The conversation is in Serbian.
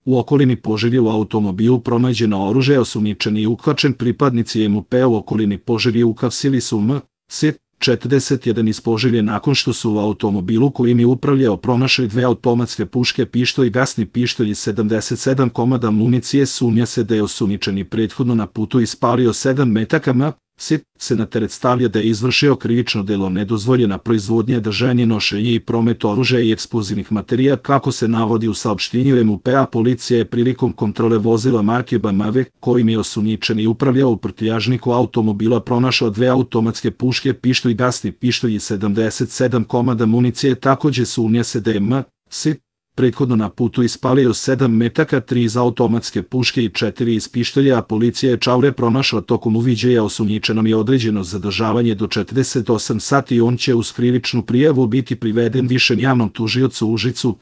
U okolini Požege u automobilu pronađeno oružje, osumnjičeni i uhvaćen. Pripadnici MUP-a u okolini Požege uhapsili su M.S. 41 iz Požege nakon što su u automobilu kojim je upravljao pronašli 2 automatske puške, pištolj i gasni pištolj i 77 komada municije. Sumnja se da je osumnjičeni prethodno na putu ispalio 7 metaka M.S. se na teret stavlja da je izvršio krivično delo nedozvoljena proizvodnja, držanje, nošenje i promet oružja i eksplozivnih materijala. Kako se navodi u saopštenju MUP-a, policija je prilikom kontrole vozila marke BMW kojim je osumnjičeni upravljao u prtljažniku automobila pronašao 2 automatske puške, pištolj i gasni pištolj i 77 komada municije. Takođe sumnja se da je M.S. prethodno na putu ispalio 7 metaka, 3 iz automatske puške i 4 iz pištolja, a policija je čaure pronašla tokom uviđaja. Osumnjičenom je određeno zadržavanje do 48 sati i on će uz krivičnu prijavu biti priveden višem javnom tužiocu u Užicu.